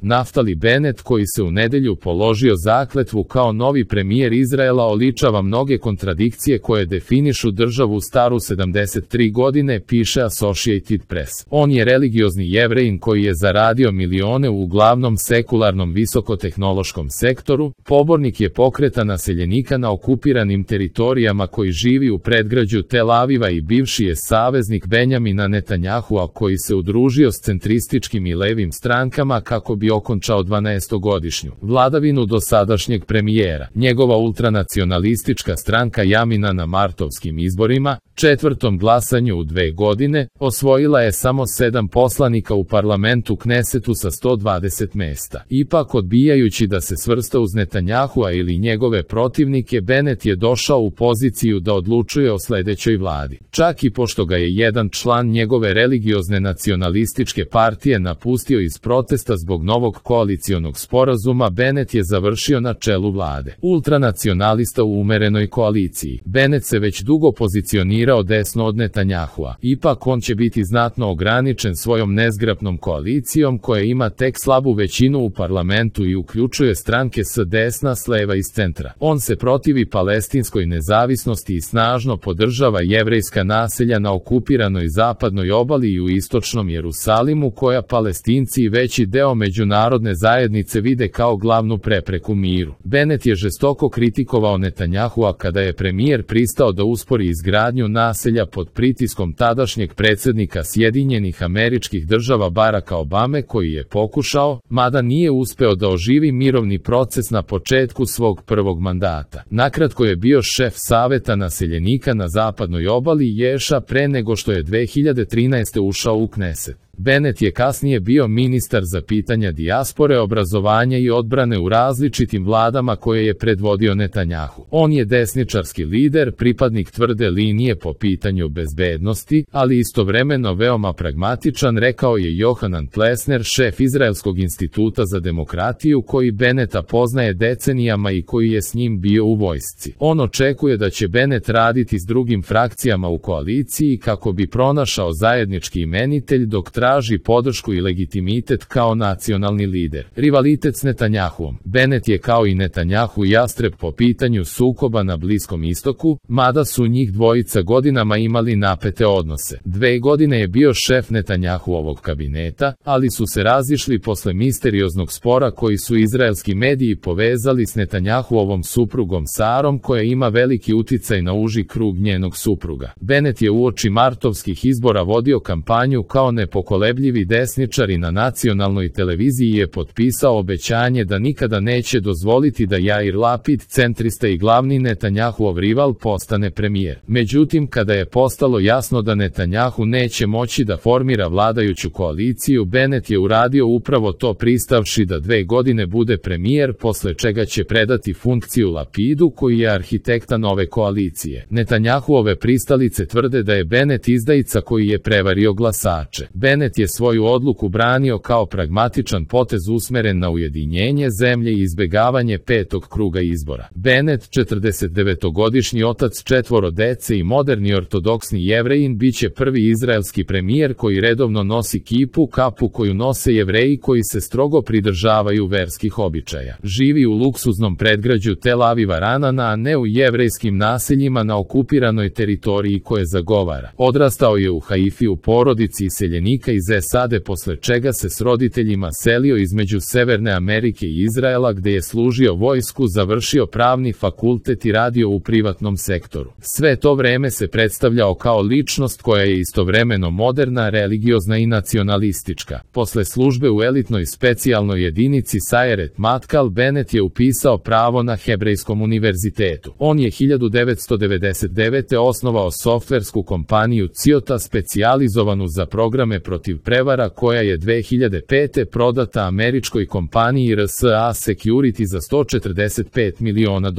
Naftali Bennett, koji se u nedelju položio zakletvu kao novi premijer Izraela, oličava mnoge kontradikcije koje definišu državu staru 73 godine, piše Associated Press. On je religiozni Jevrejin koji je zaradio milione u uglavnom sekularnom visokotehnološkom sektoru, pobornik je pokreta naseljenika na okupiranim teritorijama koji živi u predgrađu Tel Aviva i bivši je saveznik Benjamina Netanjahua koji se udružio s centrističkim i levim strankama kako bi okončao 12-godišnju vladavinu dosadašnjeg premijera. Njegova ultranacionalistička stranka Jamina na martovskim izborima, četvrtom glasanju u 2 godine, osvojila je samo 7 poslanika u parlamentu Knesetu sa 120 mesta. Ipak, odbijajući da se svrsta uz Netanjahua ili njegove protivnike, Bennett je došao u poziciju da odlučuje o sledećoj vladi. Čak i pošto ga je jedan član njegove religiozne nacionalističke partije napustio iz protesta zbog novog koalicionog sporazuma, Bennett je završio na čelu vlade. Ultranacionalista u umerenoj koaliciji. Bennett se već dugo pozicionirao desno od Netanjahua. Ipak on će biti znatno ograničen svojom nezgrapnom koalicijom koja ima tek slabu većinu u parlamentu i uključuje stranke s desna, s leva i s centra. On se protivi palestinskoj nezavisnosti i snažno podržava jevrejska naselja na okupiranoj zapadnoj obali i u istočnom Jerusalimu, koja Palestinci i veći deo međunarodne zajednice vide kao glavnu prepreku miru. Bennett je žestoko kritikovao Netanjahua kada je premijer pristao da uspori izgradnju naselja pod pritiskom tadašnjeg predsjednika Sjedinjenih Američkih Država Baracka Obame, koji je pokušao, mada nije uspeo da oživi mirovni proces na početku svog prvog mandata. Nakratko je bio šef saveta naseljenika na zapadnoj obali Ješa pre nego što je 2013. ušao u Kneset. Bennett je kasnije bio ministar za pitanja dijaspore, obrazovanja i odbrane u različitim vladama koje je predvodio Netanjahu. On je desničarski lider, pripadnik tvrde linije po pitanju bezbednosti, ali istovremeno veoma pragmatičan, rekao je Johanan Plesner, šef Izraelskog instituta za demokratiju, koji Bennetta poznaje decenijama i koji je s njim bio u vojsci. On očekuje da će Bennett raditi s drugim frakcijama u koaliciji kako bi pronašao zajednički imenitelj dok traži podršku i legitimitet kao nacionalni lider. Rivalitet s Netanjahuom. Bennett je kao i Netanjahu jastreb po pitanju sukoba na Bliskom istoku, mada su njih dvojica godinama imali napete odnose. 2 godine je bio šef Netanjahuovog kabineta, ali su se razišli posle misterioznog spora koji su izraelski mediji povezali s Netanjahuovom suprugom Sarom, koja ima veliki uticaj na uži krug njenog supruga. Bennett je uoči martovskih izbora vodio kampanju kao nepokolebljivi desničar i na nacionalnoj televiziji je potpisao obećanje da nikada neće dozvoliti da Jair Lapid, centrista i glavni Netanjahuov rival, postane premijer. Međutim, kada je postalo jasno da Netanjahu neće moći da formira vladajuću koaliciju, Bennett je uradio upravo to, pristavši da 2 godine bude premijer, posle čega će predati funkciju Lapidu, koji je arhitekta nove koalicije. Netanjahuove pristalice tvrde da je Bennett izdajica koji je prevario glasače. Bennett je svoju odluku branio kao pragmatičan potez usmeren na ujedinjenje zemlje i izbegavanje 5. kruga izbora. Bennett, 49-godišnji otac 4 dece i moderni ortodoksni Jevrejin, biće prvi izraelski premijer koji redovno nosi kapu koju nose Jevreji koji se strogo pridržavaju verskih običaja. Živi u luksuznom predgrađu Tel Aviva Ranana, a ne u jevrejskim naseljima na okupiranoj teritoriji koje zagovara. Odrastao je u Haifi u porodici iseljenika iz SAD, posle čega se s roditeljima selio između Severne Amerike i Izraela, gde je služio vojsku, završio pravni fakultet i radio u privatnom sektoru. Sve to vreme se predstavljao kao ličnost koja je istovremeno moderna, religiozna i nacionalistička. Posle službe u elitnoj specijalnoj jedinici Sayeret Matkal, Bennett je upisao pravo na Hebrejskom univerzitetu. On je 1999. osnovao softversku kompaniju Ciota, specijalizovanu za programe protiv prevara, koja je 2005. prodata američkoj kompaniji RSA Security za $145 miliona.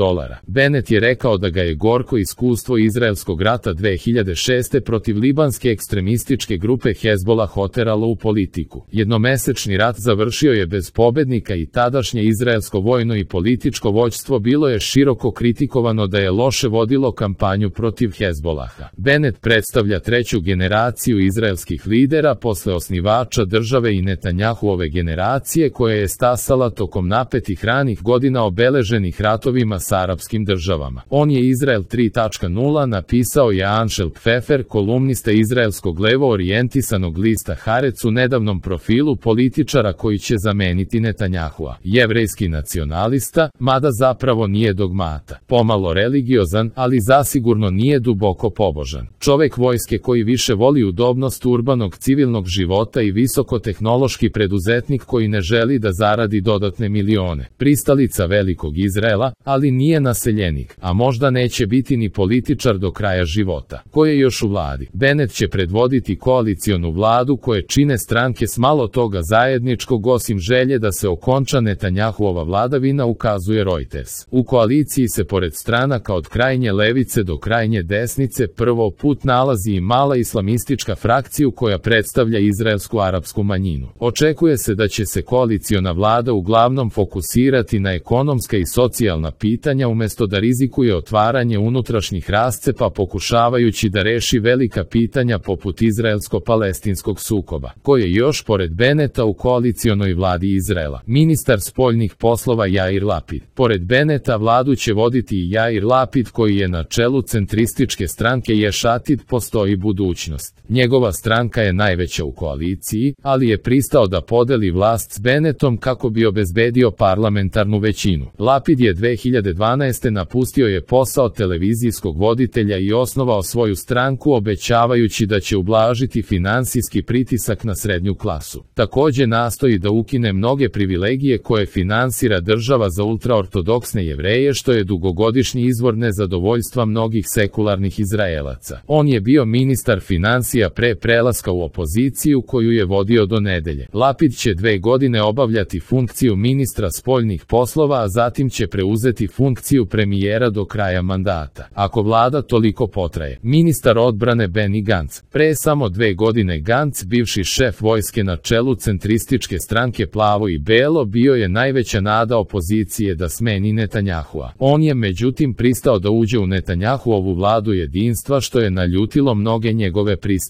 Bennett je rekao da ga je gorko iskustvo izraelskog rata 2006. protiv libanske ekstremističke grupe Hezbollah oteralo u politiku. Jednomesečni rat završio je bez pobednika i tadašnje izraelsko vojno i političko vođstvo bilo je široko kritikovano da je loše vodilo kampanju protiv Hezbollaha. Bennett predstavlja treću generaciju izraelskih lidera posle osnivača države i Netanjahuove generacije koja je stasala tokom napetih ranih godina obeleženih ratovima s arapskim državama. On je Izrael 3.0 napisao je Anšel Pfefer, kolumnista izraelskog levo orijentisanog lista Haaretz u nedavnom profilu političara koji će zameniti Netanjahua. Jevrejski nacionalista, mada zapravo nije dogmata. Pomalo religiozan, ali zasigurno nije duboko pobožan. Čovek vojske koji više voli udobnost urbanog civilnog života i visokotehnološki preduzetnik koji ne želi da zaradi dodatne milione. Pristalica velikog Izraela, ali nije naseljenik, a možda neće biti ni političar do kraja života. Ko je još u vladi? Bennett će predvoditi koalicionu vladu koje čine stranke s malo toga zajedničkog osim želje da se okonča Netanjahuova vladavina, ukazuje Reuters. U koaliciji se pored stranaka od krajnje levice do krajnje desnice prvo put nalazi i mala islamistička frakciju koja predstavlja izraelsku arapsku manjinu. Očekuje se da će se koaliciona vlada uglavnom fokusirati na ekonomska i socijalna pitanja umesto da rizikuje otvaranje unutrašnjih rascepa pokušavajući da reši velika pitanja poput izraelsko-palestinskog sukoba. Ko je još pored Bennetta u koalicionoj vladi Izraela? Ministar spoljnih poslova Jair Lapid. Pored Bennetta vladu će voditi i Jair Lapid koji je na čelu centrističke stranke Yesh Atid. Postoji budućnost. Njegova stranka je najveća u koaliciji, ali je pristao da podeli vlast s Bennettom kako bi obezbedio parlamentarnu većinu. Lapid je 2012. napustio je posao televizijskog voditelja i osnovao svoju stranku obećavajući da će ublažiti finansijski pritisak na srednju klasu. Takođe nastoji da ukine mnoge privilegije koje finansira država za ultraortodoksne Jevreje, što je dugogodišnji izvor nezadovoljstva mnogih sekularnih Izraelaca. On je bio ministar finansija pre prelaska u opoziciju koju je vodio do nedelje. Lapid će 2 godine obavljati funkciju ministra spoljnih poslova, a zatim će preuzeti funkciju premijera do kraja mandata. Ako vlada toliko potraje. Ministar odbrane Benny Gantz. Pre samo 2 godine Gantz, bivši šef vojske na čelu centrističke stranke Plavo i Belo, bio je najveća nada opozicije da smeni Netanjahua. On je međutim pristao da uđe u Netanjahuovu vladu jedinstva, što je naljutilo mnoge njegove pristalice.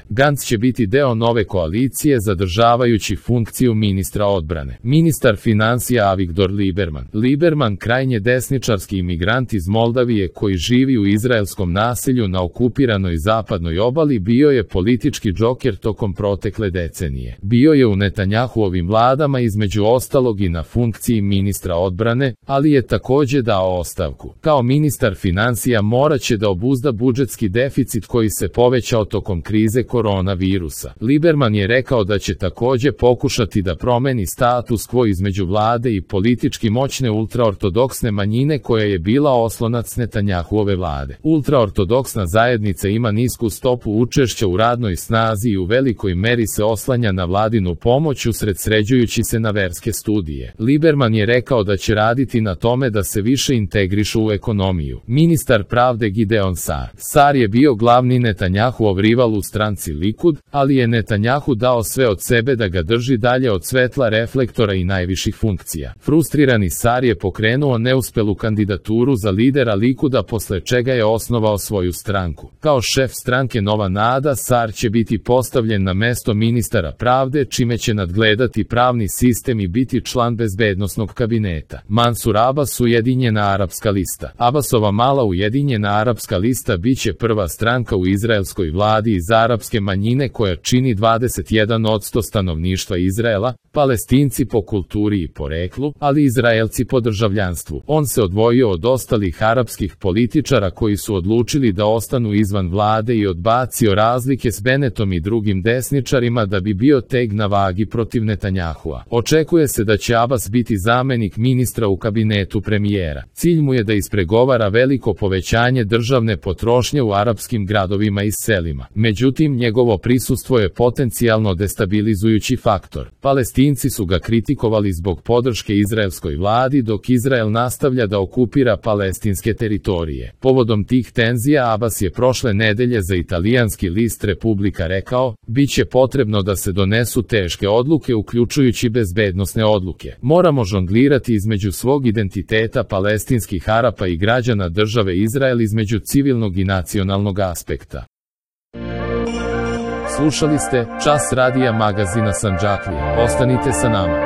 Gantz će biti deo nove koalicije zadržavajući funkciju ministra odbrane. Ministar finansija Avigdor Lieberman. Lieberman, krajnje desničarski imigrant iz Moldavije koji živi u izraelskom naselju na okupiranoj zapadnoj obali, bio je politički džoker tokom protekle decenije. Bio je u Netanjahuovim vladama između ostalog i na funkciji ministra odbrane, ali je takođe dao ostavku. Kao ministar finansija moraće da obuzda budžetski deficit koji se povećao tokom krize koronavirusa. Lieberman je rekao da će takođe pokušati da promeni status quo između vlade i politički moćne ultraortodoksne manjine koja je bila oslonac Netanjahuove vlade. Ultraortodoksna zajednica ima nisku stopu učešća u radnoj snazi i u velikoj meri se oslanja na vladinu pomoć usredsređujući se na verske studije. Lieberman je rekao da će raditi na tome da se više integrišu u ekonomiju. Ministar pravde Gideon Saar. Saar je bio glavni Netanjahuov rival u stranci Likud, ali je Netanjahu dao sve od sebe da ga drži dalje od svetla reflektora i najviših funkcija. Frustrirani Saar je pokrenuo neuspelu kandidaturu za lidera Likuda, posle čega je osnovao svoju stranku. Kao šef stranke Nova Nada, Saar će biti postavljen na mesto ministara pravde, čime će nadgledati pravni sistem i biti član bezbednosnog kabineta. Mansur Abbas, Ujedinjena arapska lista. Abbasova mala Ujedinjena arapska lista biće prva stranka u izraelskoj vladi iz arapske manjine koja čini 21% stanovništva Izraela, Palestinci po kulturi i poreklu, ali Izraelci po državljanstvu. On se odvojio od ostalih arapskih političara koji su odlučili da ostanu izvan vlade i odbacio razlike s Bennettom i drugim desničarima da bi bio teg na vagi protiv Netanjahua. Očekuje se da će Abbas biti zamenik ministra u kabinetu premijera. Cilj mu je da ispregovara veliko povećanje državne potrošnje u arapskim gradovima i selima. Međutim, njegovo prisustvo je potencijalno destabilizujući faktor. Palestinci su ga kritikovali zbog podrške izraelskoj vladi, dok Izrael nastavlja da okupira palestinske teritorije. Povodom tih tenzija Abbas je prošle nedelje za italijanski list Republika rekao: "Biće potrebno da se donesu teške odluke, uključujući bezbednosne odluke. Moramo žonglirati između svog identiteta palestinskih Arapa i građana države Izrael, između civilnog i nacionalnog aspekta." Slušali ste Čas radija magazina Sandžaklija. Ostanite sa nama.